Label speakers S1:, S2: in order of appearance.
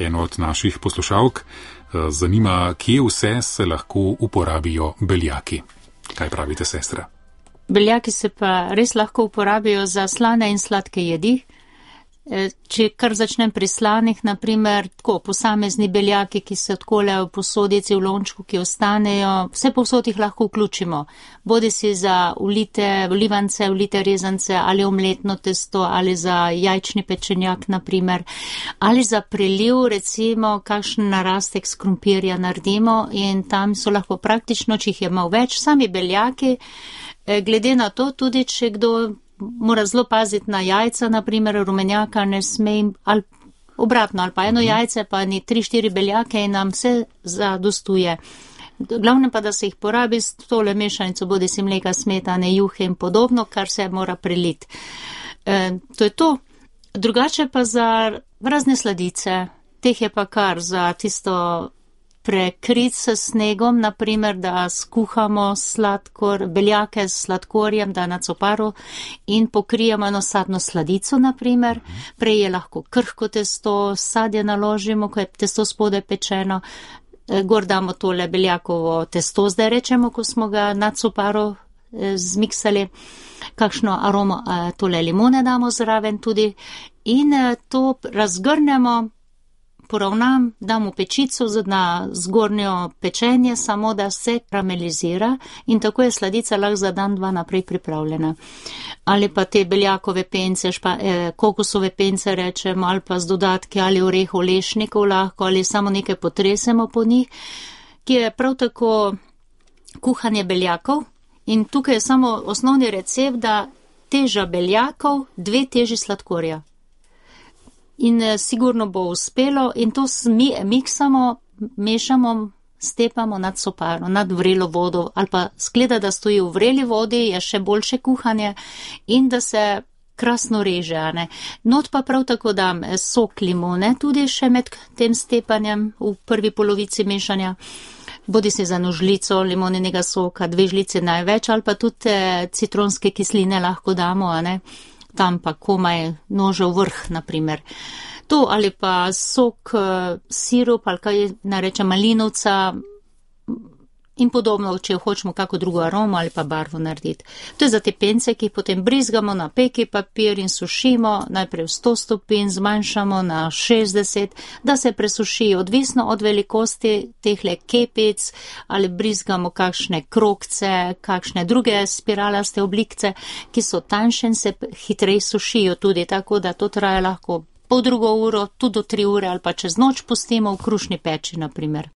S1: eno od naših poslušalk zanima, kje vse se lahko uporabijo beljaki. Kaj pravite, sestra?
S2: Beljaki se pa res lahko uporabijo za slane in sladke jedi. Če kar začnem pri slanih, naprimer, tako posamezni beljaki, ki se odkoljajo v posodici, v lončku, ki ostanejo, vse povsod jih lahko vključimo. Bodi si za vlivance, vlite rezance ali omletno testo ali za jajčni pečenjak, naprimer, ali za preliv, recimo, kakšen narastek s krompirja naredimo in tam so lahko praktično, če jih je malo več, sami beljaki, glede na to tudi, če kdo mora zelo paziti na jajca, naprimer rumenjaka ne sme, ali obratno, ali pa eno jajce, pa ni 3-4 beljake in nam vse zadostuje. Glavno pa, da se jih porabi s tole mešanico, bodi si mleka, smetane, juhe in podobno, kar se mora preliti. To je to. Drugače pa za razne sladice, teh je pa kar za tisto prekrit s snegom, naprimer, da skuhamo beljake s sladkorjem, da na coparu in pokrijemo eno sadno sladico, naprimer. Prej je lahko krhko testo, sadje naložimo, ko je testo spodaj pečeno, gor damo tole beljakovo testo, zdaj rečemo, ko smo ga na coparu zmiksali, kakšno aromo tole limone damo zraven tudi in to razgrnemo, poravnam, dam v pečico na zgornjo pečenje, samo da se karamelizira in tako je sladica lahko za dan, dva naprej pripravljena. Ali pa te beljakove pence, kokosove pence rečemo, ali pa z dodatki ali orehov, lešnikov lahko, ali samo nekaj potresemo po njih, ki je prav tako kuhanje beljakov in tukaj je samo osnovni recept, da teža beljakov, 2 teži sladkorja. In sigurno bo uspelo in to miksamo, mešamo, stepamo nad soparo, nad vrelo vodo ali pa skleda, da stoji v vreli vodi, je še boljše kuhanje in da se krasno reže. Not pa prav tako dam sok limone tudi še med tem stepanjem v prvi polovici mešanja. Bodi se za eno žlico limoninega soka, 2 žlice največ ali pa tudi citronske kisline lahko damo, tam pa komaj nožev vrh, naprimer. To ali pa sok, sirup ali kaj narečem malinovca in podobno, če hočemo kako drugo aromo ali pa barvo narediti. To je za te pence, ki jih potem brizgamo na peki papir in sušimo, najprej v 100 stopinj, zmanjšamo na 60, da se presušijo, odvisno od velikosti tehle kepic ali brizgamo kakšne krogce, kakšne druge spiralaste oblikce, ki so tanjše in se hitreje sušijo tudi, tako da to traja lahko pol drugo uro, tudi do 3 ure ali pa čez noč pustimo v krušni peči, naprimer.